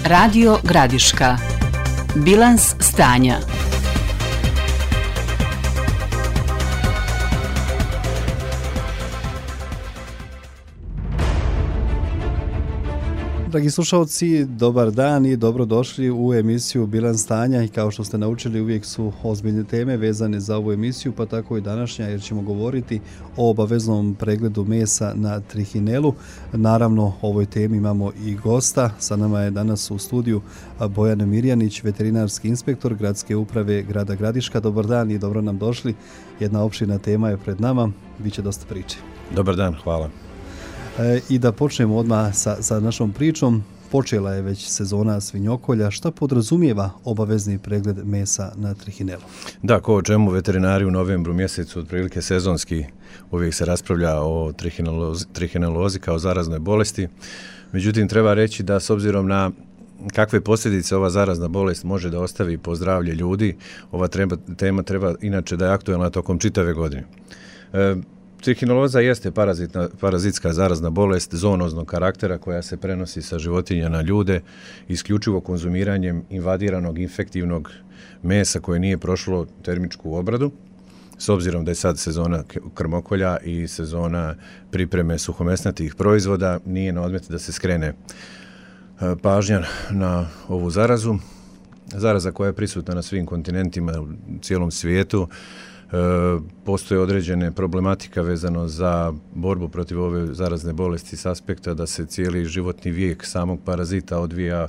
Radio Gradiška. Bilans stanja. Dragi slušalci, dobar dan i dobrodošli u emisiju Bilans stanja i kao što ste naučili uvijek su ozbiljne teme vezane za ovu emisiju, pa tako i današnja jer ćemo govoriti o obaveznom pregledu mesa na trihinelu. Naravno, o ovoj temi imamo i gosta. Sa nama je danas u studiju Bojan Mirjanić, veterinarski inspektor Gradske uprave grada Gradiška. Dobar dan i dobro nam došli. Jedna opširna tema je pred nama, biće dosta priče. Dobar dan, hvala. I da počnemo odmah sa našom pričom. Počela je već sezona svinjokolja. Šta podrazumijeva obavezni pregled mesa na trihinelu? Da, ko o čemu veterinari u novembru mjesecu, otprilike sezonski, uvijek se raspravlja o trihinelozi kao zaraznoj bolesti. Međutim, treba reći da s obzirom na kakve posljedice ova zarazna bolest može da ostavi po zdravlje ljudi, ova tema treba inače da je aktualna tokom čitave godine. Trihineloza jeste parazitska zarazna bolest zoonoznog karaktera koja se prenosi sa životinja na ljude isključivo konzumiranjem invadiranog infektivnog mesa koje nije prošlo termičku obradu. S obzirom da je sad sezona krmokolja i sezona pripreme suhomesnatih proizvoda, nije na odmet da se skrene pažnja na ovu zarazu. Zaraza koja je prisutna na svim kontinentima u cijelom svijetu. Postoje određene problematika vezano za borbu protiv ove zarazne bolesti s aspekta da se cijeli životni vijek samog parazita odvija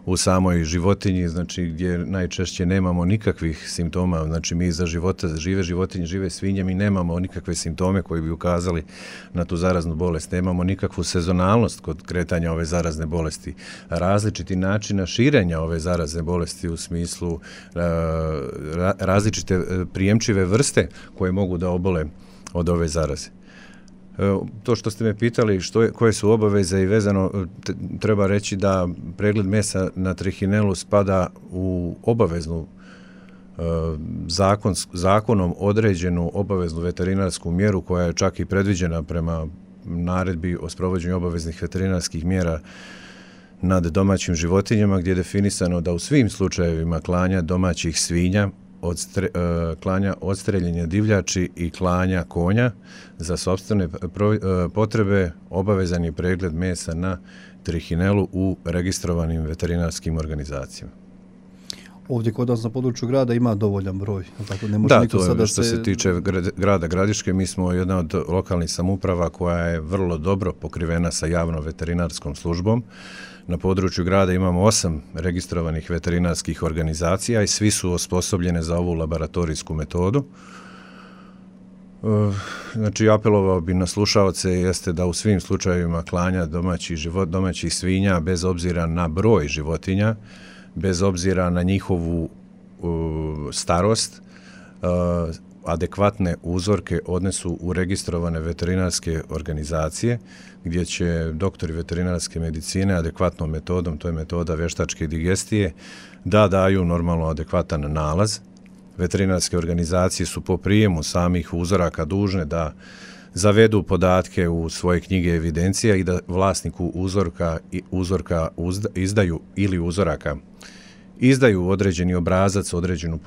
u samoj životinji, znači gdje najčešće nemamo nikakvih simptoma, znači mi za žive životinje, žive svinje, mi nemamo nikakve simptome koji bi ukazali na tu zaraznu bolest, nemamo nikakvu sezonalnost kod kretanja ove zarazne bolesti, različiti načina širenja ove zarazne bolesti u smislu različite prijemčive vrste koje mogu da obole od ove zaraze. To što ste me pitali koje su obaveze i vezano, treba reći da pregled mesa na trihinelu spada u obaveznu zakonom određenu obaveznu veterinarsku mjeru koja je čak i predviđena prema naredbi o sprovođenju obaveznih veterinarskih mjera nad domaćim životinjama gdje je definisano da u svim slučajevima klanja domaćih svinja, klanja odstreljenja divljači i klanja konja za sopstvene potrebe obavezan je pregled mesa na trihinelu u registrovanim veterinarskim organizacijama. Ovdje kod nas na području grada ima dovoljan broj. Tako, ne može niko sada što se tiče grada Gradiške, mi smo jedna od lokalnih samouprava koja je vrlo dobro pokrivena sa javnom veterinarskom službom. Na području grada imamo 8 registrovanih veterinarskih organizacija i svi su osposobljene za ovu laboratorijsku metodu. Znači, apelovao bi na slušaoce jeste da u svim slučajevima klanja domaćih svinja, bez obzira na broj životinja, bez obzira na njihovu starost, adekvatne uzorke odnesu u registrovane veterinarske organizacije gdje će doktori veterinarske medicine adekvatnom metodom, to je metoda vještačke digestije, da daju normalno adekvatan nalaz. Veterinarske organizacije su po prijemu samih uzoraka dužne da zavedu podatke u svoje knjige evidencija i da vlasniku uzorka izdaju ili uzoraka izdaju određeni obrazac, određenu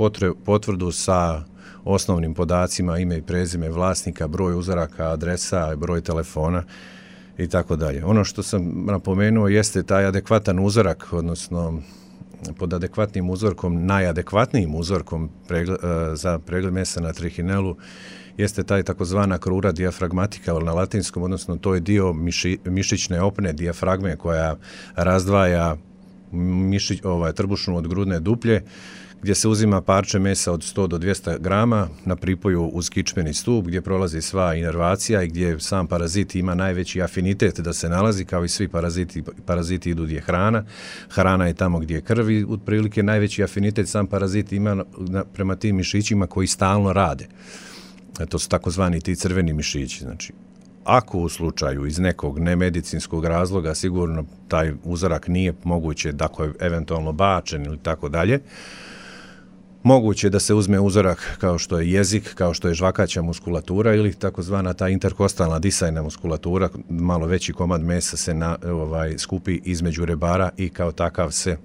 potvrdu sa osnovnim podacima, ime i prezime vlasnika, broj uzoraka, adresa, broj telefona i tako dalje. Ono što sam napomenuo jeste taj adekvatan uzorak, odnosno pod adekvatnim uzorkom, najadekvatnijim uzorkom za pregled mesa na trihinelu jeste taj takozvana krura dijafragmatika na latinskom, odnosno to je dio mišićne opne dijafragme koja razdvaja trbušnu od grudne duplje, gdje se uzima parče mesa od 100 do 200 grama na pripoju uz kičmeni stup gdje prolazi sva inervacija i gdje sam parazit ima najveći afinitet da se nalazi, kao i svi paraziti idu gdje je hrana. Hrana je tamo gdje je krv i otprilike najveći afinitet sam parazit ima prema tim mišićima koji stalno rade. To su takozvani ti crveni mišići. Znači, ako u slučaju iz nekog nemedicinskog razloga sigurno taj uzorak nije moguće, dakle eventualno bačen ili tako dalje, Moguće da se uzme uzorak kao što je jezik, kao što je žvakaća muskulatura ili takozvana ta interkostalna disajna muskulatura, malo veći komad mesa se skupi između rebara i kao takav se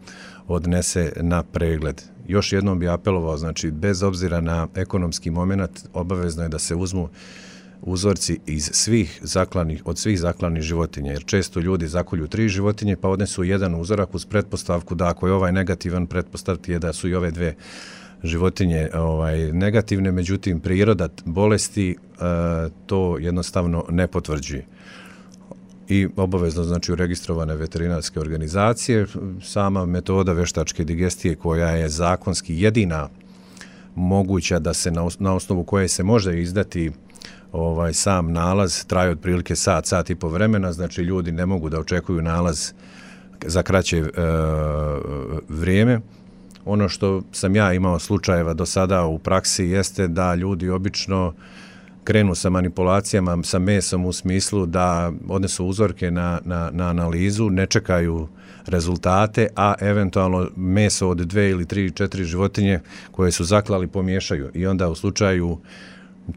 odnese na pregled. Još jednom bi apelovao, znači bez obzira na ekonomski moment, obavezno je da se uzmu uzorci od svih zaklanih životinja, jer često ljudi zakolju 3 životinje pa odnesu jedan uzorak uz pretpostavku da ako je ovaj negativan, pretpostavki je da su i ove 2 životinje negativne, međutim priroda bolesti to jednostavno ne potvrđuje. I obavezno znači u registrovane veterinarske organizacije, sama metoda veštačke digestije koja je zakonski jedina moguća da se na osnovu koje se može izdati sam nalaz, traje otprilike sat i po vremena, znači ljudi ne mogu da očekuju nalaz za kraće vrijeme. Ono što sam ja imao slučajeva do sada u praksi jeste da ljudi obično krenu sa manipulacijama sa mesom u smislu da odnesu uzorke na analizu, ne čekaju rezultate, a eventualno meso od 2 ili 3, 4 životinje koje su zaklali pomiješaju i onda u slučaju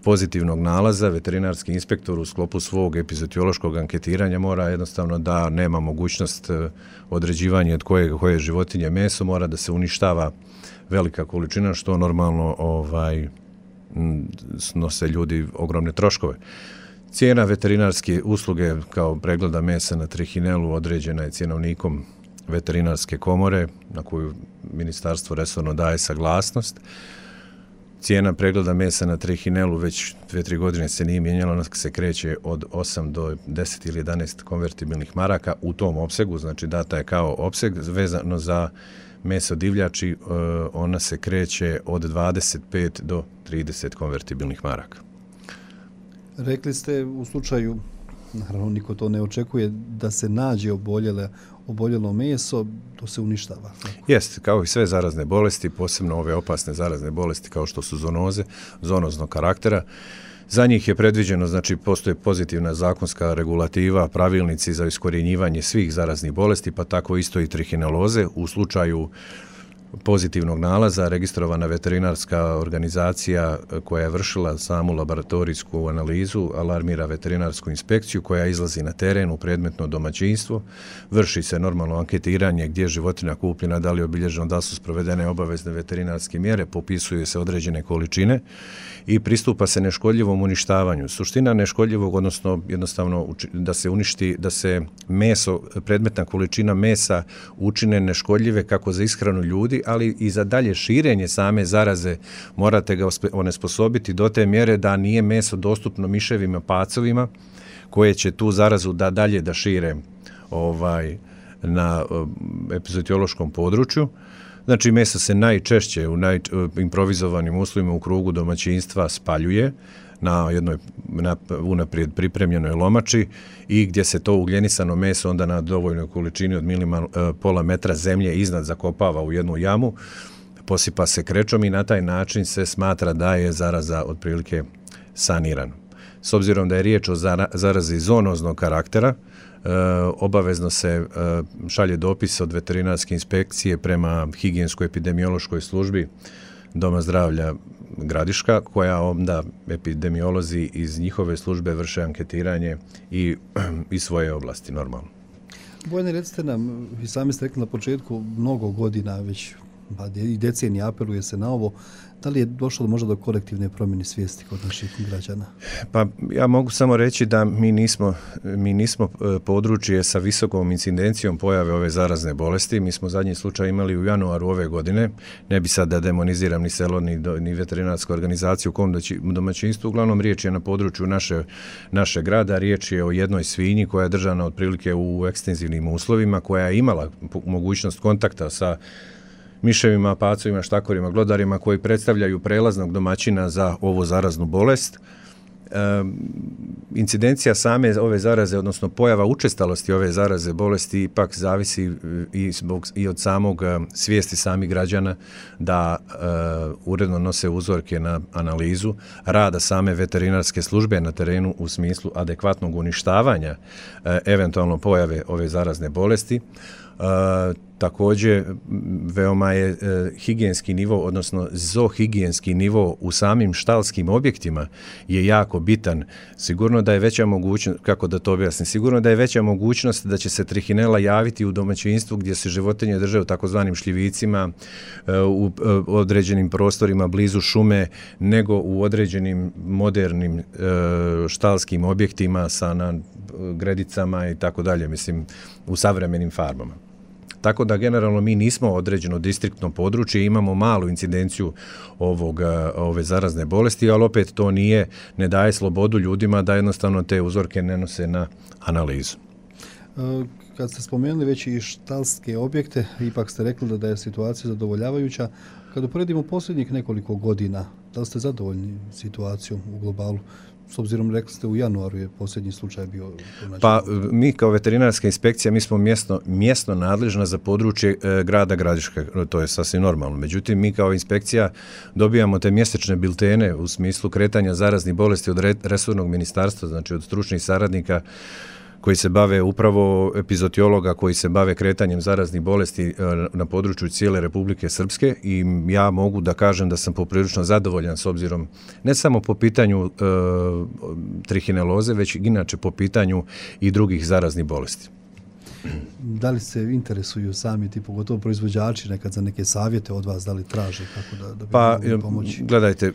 pozitivnog nalaza veterinarski inspektor u sklopu svog epizootiološkog anketiranja mora jednostavno da nema mogućnost određivanja od koje životinje meso, mora da se uništava velika količina, što normalno snose ljudi ogromne troškove. Cijena veterinarske usluge kao pregleda mesa na trihinelu određena je cjenovnikom veterinarske komore na koju ministarstvo resorno daje saglasnost. Cijena pregleda mesa na trihinelu već 2-3 godine se nije mijenjala, ona se kreće od 8 do 10 ili 11 konvertibilnih maraka u tom opsegu, znači data je kao opseg, vezano za meso divljači ona se kreće od 25 do 30 konvertibilnih maraka. Rekli ste u slučaju, naravno niko to ne očekuje, da se nađe oboljelo meso, to se uništava. Jeste, kao i sve zarazne bolesti, posebno ove opasne zarazne bolesti kao što su zoonoze, zoonoznog karaktera. Za njih je predviđeno, znači postoje pozitivna zakonska regulativa, pravilnici za iskorjenjivanje svih zaraznih bolesti, pa tako isto i trihineloze. U slučaju pozitivnog nalaza registrovana veterinarska organizacija koja je vršila samu laboratorijsku analizu alarmira veterinarsku inspekciju koja izlazi na teren u predmetno domaćinstvo, vrši se normalno anketiranje gdje je životinja kupljena, da li je obilježeno, da su sprovedene obavezne veterinarske mjere, popisuju se određene količine i pristupa se neškodljivom uništavanju. Suština neškodljivog, odnosno jednostavno da se uništi, da se meso, predmetna količina mesa učine neškodljive kako za ishranu ljudi, ali i za dalje širenje same zaraze morate ga onesposobiti do te mjere da nije meso dostupno miševima, pacovima koje će tu zarazu dalje da šire na epizootiološkom području. Znači meso se najčešće u improvizovanim uslovima u krugu domaćinstva spaljuje na jednoj unaprijed pripremljenoj lomači i gdje se to ugljenisano meso onda na dovoljnoj količini od pola metra zemlje iznad zakopava u jednu jamu, posipa se krečom i na taj način se smatra da je zaraza otprilike sanirana. S obzirom da je riječ o zarazi zoonoznog karaktera, obavezno se šalje dopis od veterinarske inspekcije prema higijensko-epidemiološkoj službi Doma zdravlja Gradiška, koja onda epidemiolozi iz njihove službe vrše anketiranje i svoje oblasti normalno. Bojane, recite nam, vi sami ste rekli na početku, mnogo godina već i decenija apeluje se na ovo, da li je došlo možda do kolektivne promjene svijesti kod naših građana? Pa ja mogu samo reći da mi nismo područje sa visokom incidencijom pojave ove zarazne bolesti. Mi smo zadnji slučaj imali u januaru ove godine. Ne bi sad da demoniziram ni selo, ni veterinarsku organizaciju u kom domaćinstvu. Uglavnom riječ je na području naše grada. Riječ je o jednoj svinji koja je držana otprilike u ekstenzivnim uslovima, koja je imala mogućnost kontakta sa miševima, pacovima, štakorima, glodarima koji predstavljaju prelaznog domaćina za ovu zaraznu bolest. Incidencija same ove zaraze, odnosno pojava učestalosti ove zaraze bolesti ipak zavisi i od samog svijesti samih građana da uredno nose uzorke na analizu, rada same veterinarske službe na terenu u smislu adekvatnog uništavanja eventualno pojave ove zarazne bolesti. Također, veoma je higijenski nivo, odnosno zoohigijenski nivo u samim štalskim objektima je jako bitan. Sigurno da je veća mogućnost, kako da to objasnim, sigurno da je veća mogućnost da će se trihinela javiti u domaćinstvu gdje se životinje drže u takozvanim šljivicima, u određenim prostorima blizu šume, nego u određenim modernim štalskim objektima sa gredicama i tako dalje, mislim, u savremenim farmama. Tako da generalno mi nismo određeno distriktno područje, imamo malu incidenciju ove zarazne bolesti, ali opet to ne daje slobodu ljudima da jednostavno te uzorke ne nose na analizu. Kad ste spomenuli već i štalske objekte, ipak ste rekli da je situacija zadovoljavajuća. Kad uporedimo posljednjih nekoliko godina, da li ste zadovoljni situacijom u globalu? S obzirom, rekli ste, u januaru je posljednji slučaj bio. Pa mi kao veterinarska inspekcija, mi smo mjesno nadležna za područje grada Gradiška, to je sasvim normalno. Međutim, mi kao inspekcija dobijamo te mjesečne biltene u smislu kretanja zaraznih bolesti od resornog ministarstva, znači od stručnih saradnika koji se bave upravo epizootiologa koji se bave kretanjem zaraznih bolesti na području cijele Republike Srpske i ja mogu da kažem da sam poprilično zadovoljan s obzirom ne samo po pitanju trihineloze, već inače po pitanju i drugih zaraznih bolesti. Da li se interesuju sami ti, pogotovo proizvođači, nekad za neke savjete od vas, da li traže kako da bi mogli pomoći? Gledajte,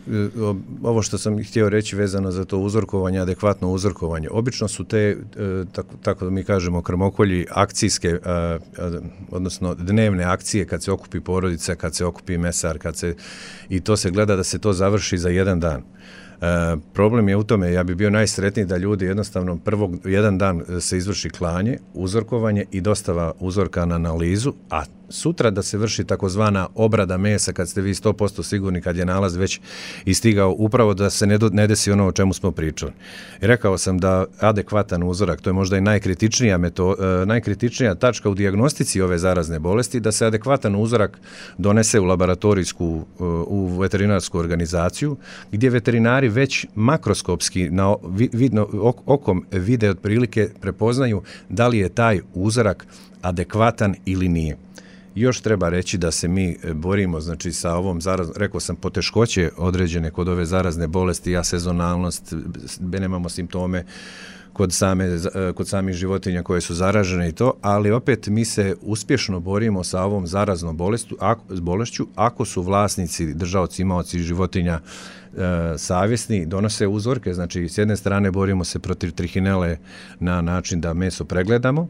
ovo što sam htio reći vezano za to uzorkovanje, adekvatno uzorkovanje. Obično su te, tako da mi kažemo, krmokolji akcijske, odnosno dnevne akcije kad se okupi porodica, kad se okupi mesar, i to se gleda da se to završi za jedan dan. Problem je u tome, ja bi bio najsretniji da ljudi jednostavno jedan dan se izvrši klanje, uzorkovanje i dostava uzorka na analizu, a sutra da se vrši takozvana obrada mesa kad ste vi 100% sigurni kad je nalaz već istigao, upravo da se ne desi ono o čemu smo pričali. I rekao sam da adekvatan uzorak, to je možda i najkritičnija tačka u dijagnostici ove zarazne bolesti, da se adekvatan uzorak donese u laboratorijsku, u veterinarsku organizaciju, gdje veterinari već makroskopski okom vide otprilike prepoznaju da li je taj uzorak adekvatan ili nije. Još treba reći da se mi borimo, znači sa ovom zaraznom, rekao sam, poteškoće određene kod ove zarazne bolesti, sezonalnost, nemamo simptome kod samih životinja koje su zaražene i to, ali opet mi se uspješno borimo sa ovom zaraznom bolešću ako su vlasnici, držaoci, imaoci životinja savjesni, donose uzorke, znači s jedne strane borimo se protiv trihinele na način da meso pregledamo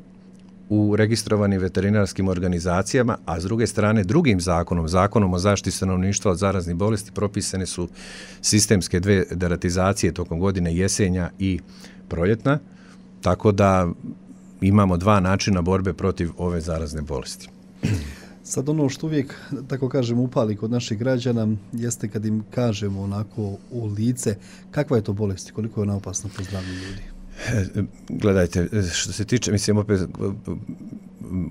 u registrovanim veterinarskim organizacijama, a s druge strane drugim zakonom o zaštiti stanovništva od zaraznih bolesti propisane su sistemske dve deratizacije tokom godine, jesenja i proljetna, tako da imamo dva načina borbe protiv ove zarazne bolesti. Sad ono što uvijek, tako kažem, upali kod naših građana jeste kad im kažemo onako u lice kakva je to bolest i koliko je ona opasna po zdravlje ljudi. Gledajte, što se tiče, mislim, opet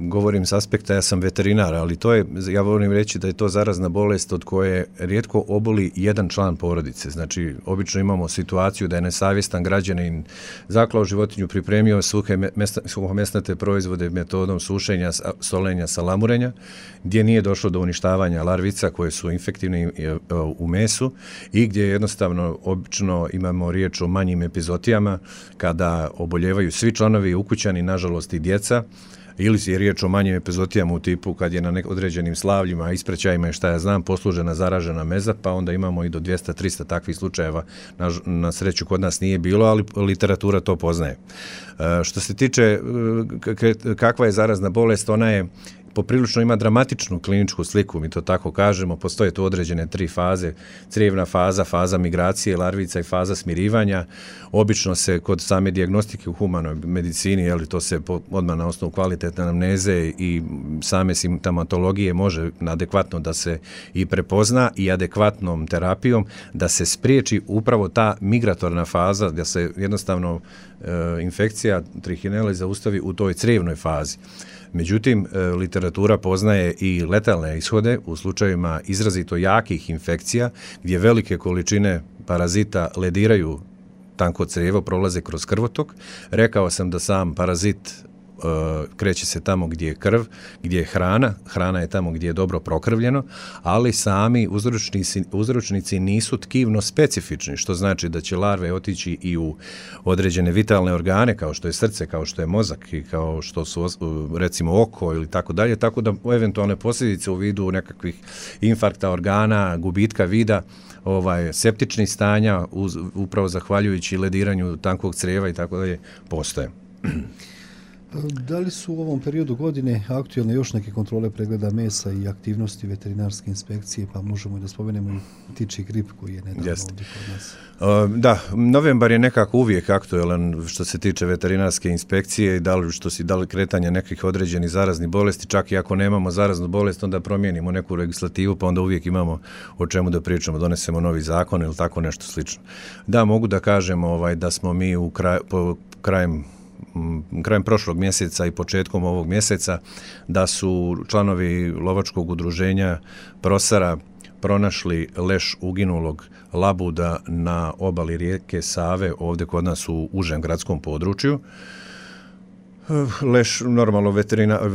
govorim s aspekta, ja sam veterinar, ali to je, ja volim reći da je to zarazna bolest od koje rijetko oboli jedan član porodice. Znači, obično imamo situaciju da je nesavjestan građanin zaklao životinju, pripremio suhomesnate proizvode metodom sušenja, solenja, salamurenja, gdje nije došlo do uništavanja larvica koje su infektivne u mesu i gdje jednostavno obično imamo riječ o manjim epizotijama kada oboljevaju svi članovi ukućani, nažalost i djeca, ili je riječ o manjim epizotijama u tipu kad je na određenim slavljima, ispraćajima i šta ja znam, poslužena zaražena meza, pa onda imamo i do 200-300 takvih slučajeva. Na sreću kod nas nije bilo, ali literatura to poznaje. Što se tiče kakva je zarazna bolest, ona je poprilično ima dramatičnu kliničku sliku, mi to tako kažemo, postoje tu određene 3 faze, crijevna faza, faza migracije larvica i faza smirivanja. Obično se kod same dijagnostike u humanoj medicini, to se odmah na osnovu kvalitetne anamneze i same simptomatologije može adekvatno da se i prepozna i adekvatnom terapijom da se spriječi upravo ta migratorna faza, da se jednostavno infekcija trihinele zaustavi u toj crijevnoj fazi. Međutim, literatura poznaje i letalne ishode u slučajevima izrazito jakih infekcija gdje velike količine parazita lediraju tanko crijevo, prolaze kroz krvotok. Rekao sam da sam parazit kreće se tamo gdje je krv, gdje je hrana je tamo gdje je dobro prokrvljeno, ali sami uzročnici nisu tkivno specifični, što znači da će larve otići i u određene vitalne organe, kao što je srce, kao što je mozak i kao što su recimo oko ili tako dalje, tako da eventualne posljedice u vidu nekakvih infarkta organa, gubitka vida, septičnih stanja, upravo zahvaljujući lediranju tankog crijeva i tako dalje, postoje. Da li su u ovom periodu godine aktualne još neke kontrole pregleda mesa i aktivnosti veterinarske inspekcije, pa možemo i da spomenemo i ptičji grip koji je nedavno ovdje kod nas? Da, novembar je nekako uvijek aktualan što se tiče veterinarske inspekcije i da li kretanje nekih određenih zaraznih bolesti, čak i ako nemamo zaraznu bolest, onda promijenimo neku legislativu, pa onda uvijek imamo o čemu da pričamo, donesemo novi zakon ili tako nešto slično. Da, mogu da kažem da smo mi krajem prošlog mjeseca i početkom ovog mjeseca da su članovi lovačkog udruženja Prosara pronašli leš uginulog labuda na obali rijeke Save, ovdje kod nas u užem gradskom području. Leš, normalno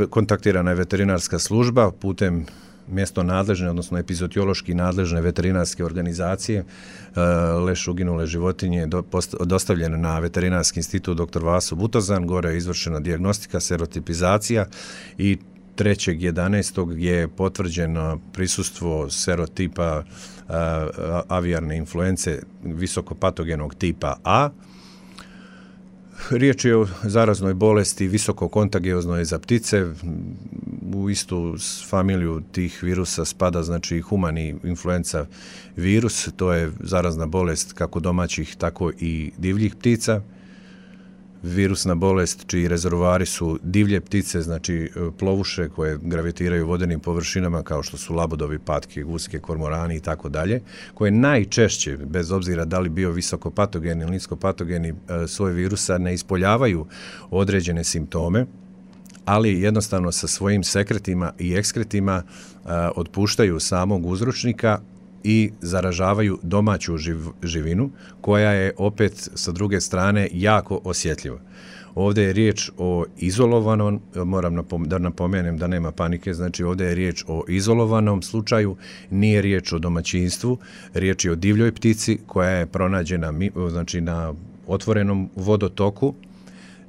kontaktirana je veterinarska služba putem mjesto nadležne, odnosno epizootiološki nadležne veterinarske organizacije. Leš uginule životinje je dostavljen na Veterinarski institut dr. Vaso Butozan, gore je izvršena dijagnostika, serotipizacija i 3.11. je potvrđeno prisustvo serotipa avijarne influence visokopatogenog tipa A. Riječ je o zaraznoj bolesti visokokontagioznoj za ptice. U istu familiju tih virusa spada znači humani influenza virus, to je zarazna bolest kako domaćih tako i divljih ptica. Virusna bolest čiji rezervoari su divlje ptice, znači plovuše koje gravitiraju vodenim površinama kao što su labudovi, patke, guske, kormorani i tako dalje, koje najčešće, bez obzira da li bio visokopatogeni ili niskopatogeni, svoj virusa ne ispoljavaju određene simptome, ali jednostavno sa svojim sekretima i ekskretima otpuštaju samog uzročnika i zaražavaju domaću živinu koja je opet sa druge strane jako osjetljiva. Ovdje je riječ o izolovanom, moram da napomenem da nema panike, znači ovdje je riječ o izolovanom slučaju, nije riječ o domaćinstvu, riječ je o divljoj ptici koja je pronađena znači na otvorenom vodotoku.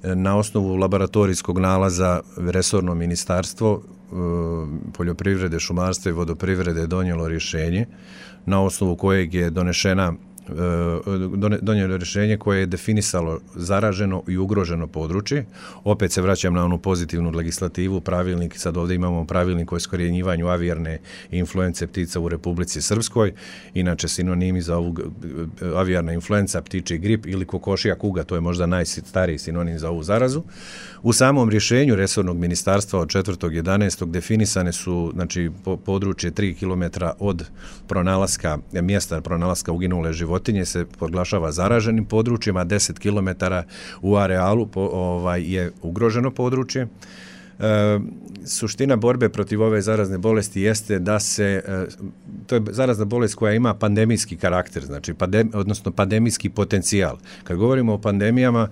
Na osnovu laboratorijskog nalaza resorno ministarstvo poljoprivrede, šumarstva i vodoprivrede donijelo rješenje na osnovu kojeg je donijelo rješenje koje je definisalo zaraženo i ugroženo područje. Opet se vraćam na onu pozitivnu legislativu, pravilnik, sad ovdje imamo pravilnik o iskorjenjivanju avijarne influence ptica u Republici Srpskoj, inače sinonimi za ovu avijarna influenca, ptičji grip ili kokošija kuga, to je možda najstariji sinonim za ovu zarazu. U samom rješenju resornog ministarstva od 4.11. definisane su znači područje 3 km od mjesta pronalaska uginule životinje se proglašava zaraženim područjima, 10 km u arealu je ugroženo područje. Suština borbe protiv ove zarazne bolesti jeste da to je zarazna bolest koja ima pandemijski karakter, znači odnosno pandemijski potencijal. Kad govorimo o pandemijama,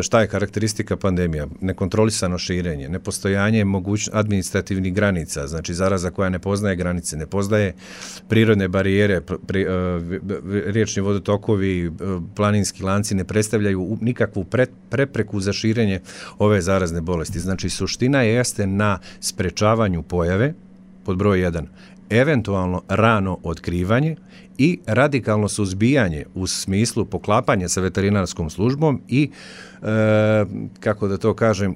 šta je karakteristika pandemija? Nekontrolisano širenje, nepostojanje administrativnih granica, znači zaraza koja ne poznaje granice, ne poznaje prirodne barijere, riječni vodotokovi, planinski lanci ne predstavljaju nikakvu prepreku za širenje ove zarazne bolesti. Znači suština jeste na sprečavanju pojave, pod broj 1, eventualno rano otkrivanje i radikalno suzbijanje u smislu poklapanja sa veterinarskom službom i, kako da to kažem,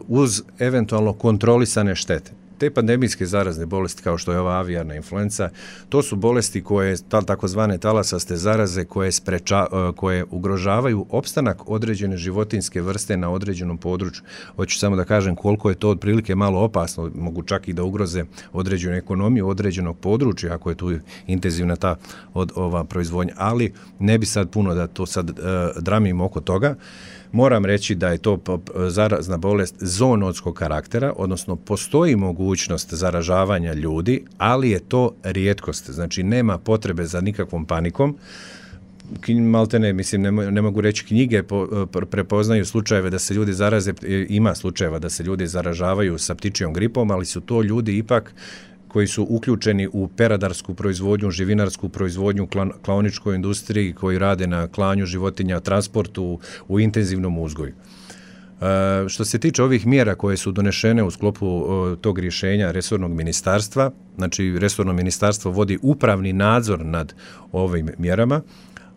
uz eventualno kontrolisane štete. Te pandemijske zarazne bolesti kao što je ova avijarna influenca, to su bolesti koje, takozvane talasaste zaraze koje ugrožavaju opstanak određene životinjske vrste na određenom području. Hoću samo da kažem koliko je to otprilike malo opasno, mogu čak i da ugroze određenu ekonomiju određenog područja ako je tu intenzivna ta ova proizvodnja, ali ne bi sad puno da to sad dramim oko toga. Moram reći da je to zarazna bolest zoonotskog karaktera, odnosno postoji mogućnost zaražavanja ljudi, ali je to rijetkost, znači nema potrebe za nikakvom panikom. maltene, mislim, ne mogu reći knjige, prepoznaju slučajeve da se ljudi zaraze, ima slučajeva da se ljudi zaražavaju sa ptičjom gripom, ali su to ljudi ipak koji su uključeni u peradarsku proizvodnju, živinarsku proizvodnju, klaoničkoj industriji, koji rade na klanju životinja, transportu, u intenzivnom uzgoju. Što se tiče ovih mjera koje su donešene u sklopu tog rješenja resornog ministarstva, znači resorno ministarstvo vodi upravni nadzor nad ovim mjerama,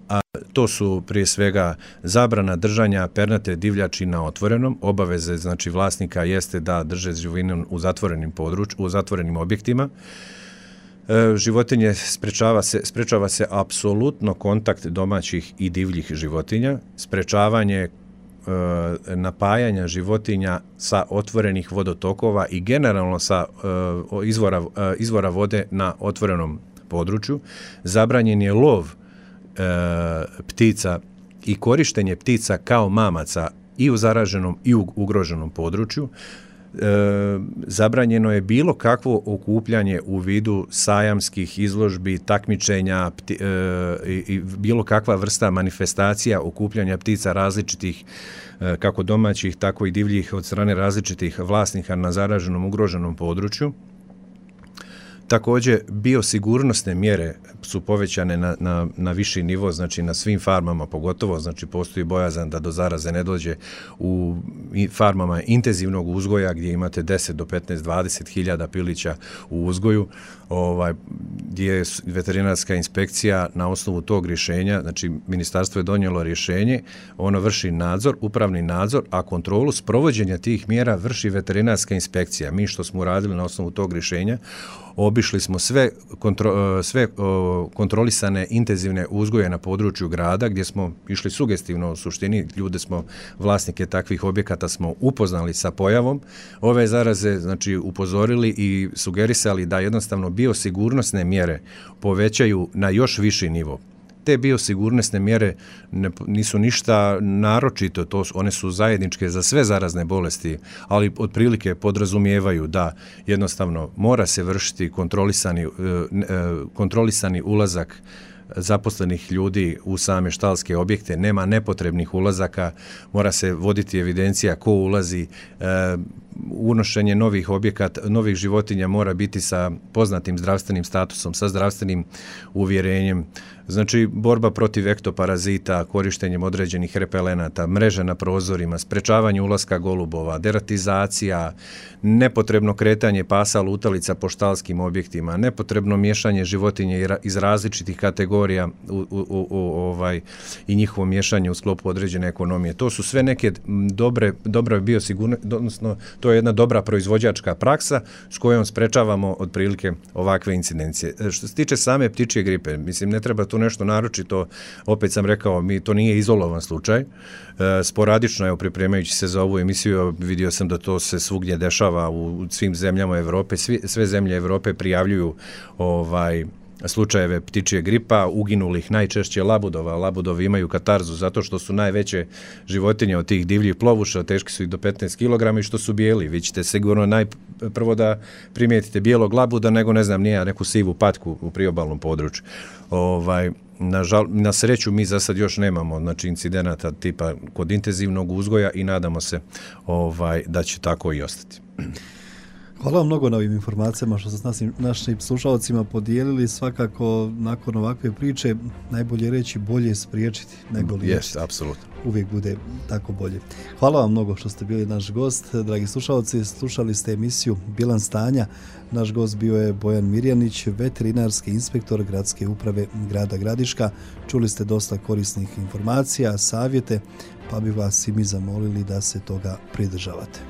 a to su prije svega zabrana držanja pernate divljači na otvorenom, obaveze znači vlasnika jeste da drže životinju u zatvorenim područjima, u zatvorenim objektima. Životinje sprečava se apsolutno kontakt domaćih i divljih životinja, sprečavanje napajanja životinja sa otvorenih vodotokova i generalno sa izvora vode na otvorenom području. Zabranjen je lov ptica i korištenje ptica kao mamaca i u zaraženom i u ugroženom području. Zabranjeno je bilo kakvo okupljanje u vidu sajamskih izložbi, takmičenja i bilo kakva vrsta manifestacija okupljanja ptica različitih, kako domaćih, tako i divljih, od strane različitih vlasnika na zaraženom, ugroženom području. Također, biosigurnosne mjere su povećane na viši nivo, znači na svim farmama pogotovo, znači postoji bojazan da do zaraze ne dođe u farmama intenzivnog uzgoja gdje imate 10 do 15, 20 hiljada pilića u uzgoju, gdje je veterinarska inspekcija na osnovu tog rješenja, znači ministarstvo je donijelo rješenje, ono vrši nadzor, upravni nadzor, a kontrolu sprovođenja tih mjera vrši veterinarska inspekcija. Mi što smo uradili na osnovu tog rješenja, obišli smo sve kontrolisane intenzivne uzgoje na području grada gdje smo išli sugestivno, u suštini ljude smo, vlasnike takvih objekata smo upoznali sa pojavom ove zaraze, znači upozorili i sugerisali da jednostavno biosigurnosne mjere povećaju na još viši nivo. Te biosigurnosne mjere nisu ništa naročito, one su zajedničke za sve zarazne bolesti, ali otprilike podrazumijevaju da jednostavno mora se vršiti kontrolisani ulazak zaposlenih ljudi u same štalske objekte, nema nepotrebnih ulazaka, mora se voditi evidencija ko ulazi, unošenje novih životinja mora biti sa poznatim zdravstvenim statusom, sa zdravstvenim uvjerenjem, znači borba protiv ektoparazita, korištenjem određenih repelenata, mreže na prozorima, sprečavanje ulaska golubova, deratizacija, nepotrebno kretanje pasa lutalica po štalskim objektima, nepotrebno miješanje životinje iz različitih kategorija i njihovo miješanje u sklopu određene ekonomije. To su sve neke dobre biosigurnosti, odnosno to je jedna dobra proizvođačka praksa s kojom sprečavamo otprilike ovakve incidencije. Što se tiče same ptičje gripe, mislim ne treba tu nešto naročito, opet sam rekao, to nije izolovan slučaj. Sporadično je, pripremajući se za ovu emisiju, vidio sam da to se svugdje dešava u svim zemljama Europe, sve zemlje Europe prijavljuju slučajeve ptičje gripa, uginulih najčešće labudova. Labudovi imaju katarzu zato što su najveće životinje od tih divljih plovuša, teški su i do 15 kg i što su bijeli. Vi ćete sigurno prvo da primijetite bijelog labuda nego neku sivu patku u priobalnom području. Na sreću mi za sad još nemamo incidenata tipa kod intenzivnog uzgoja i nadamo se da će tako i ostati. Hvala vam mnogo na ovim informacijama što ste s našim slušalcima podijelili. Svakako, nakon ovakve priče, najbolje reći bolje spriječiti nego liječiti. Apsolutno. Uvijek bude tako bolje. Hvala vam mnogo što ste bili naš gost. Dragi slušalci, slušali ste emisiju Bilans stanja. Naš gost bio je Bojan Mirjanić, veterinarski inspektor Gradske uprave grada Gradiška. Čuli ste dosta korisnih informacija, savjete, pa bi vas i mi zamolili da se toga pridržavate.